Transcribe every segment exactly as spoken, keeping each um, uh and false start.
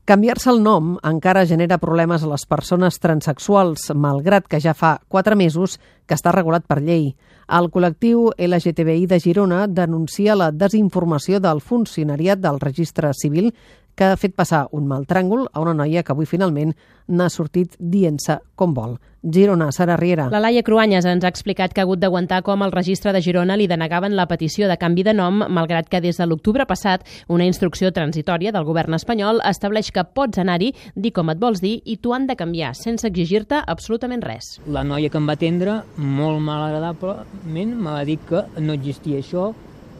Canviar-se el nom encara genera problemes a les persones transsexuals, malgrat que ja fa quatre mesos que està regulat per llei. El col·lectiu L G T B I de Girona denuncia la desinformació del funcionariat del registre civil que ha fet passar un mal tràngol a una noia que avui finalment n'ha sortit dient-se com vol. Girona, Sara Riera. La Laia Cruanyes ens ha explicat que ha hagut d'aguantar com el registre de Girona li denegaven la petició de canvi de nom, malgrat que des de l'octubre passat una instrucció transitòria del govern espanyol estableix que pots anar-hi, dir com et vols dir i t'ho han de canviar, sense exigir-te absolutament res. La noia que em va atendre, molt malagradablement, m'ha dit que no existia això,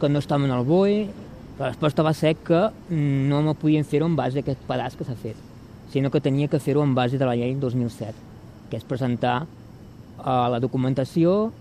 que no estava en el B O E. La resposta va ser que no me podien fer-ho en base a aquest pedaç que s'ha fet, sinó que tenia que fer-ho en base de la llei dos mil set, que és presentar uh, la documentació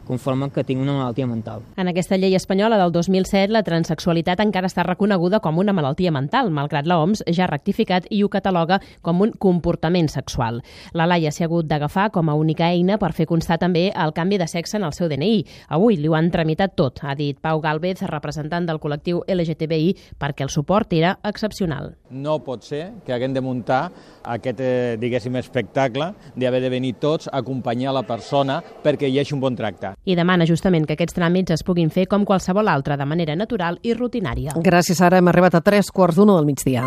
conforme que tinc una malaltia mental. En aquesta llei espanyola del dos mil set, la transsexualitat encara està reconeguda com una malaltia mental, malgrat l'O M S ja ha rectificat i ho cataloga com un comportament sexual. La Laia s'ha hagut d'agafar com a única eina per fer constar també el canvi de sexe en el seu D N I. Avui li ho han tramitat tot, ha dit Pau Gálvez, representant del col·lectiu L G T B I, perquè el suport era excepcional. No pot ser que haguem de muntar aquest, eh, diguéssim, espectacle d'haver de venir tots a acompanyar la persona perquè hi hagi un bon tracte. I demana justament que aquests tràmits es puguin fer com qualsevol altre, de manera natural i rutinària. Gràcies, Sara. Hem arribat a tres quarts d'una del migdia.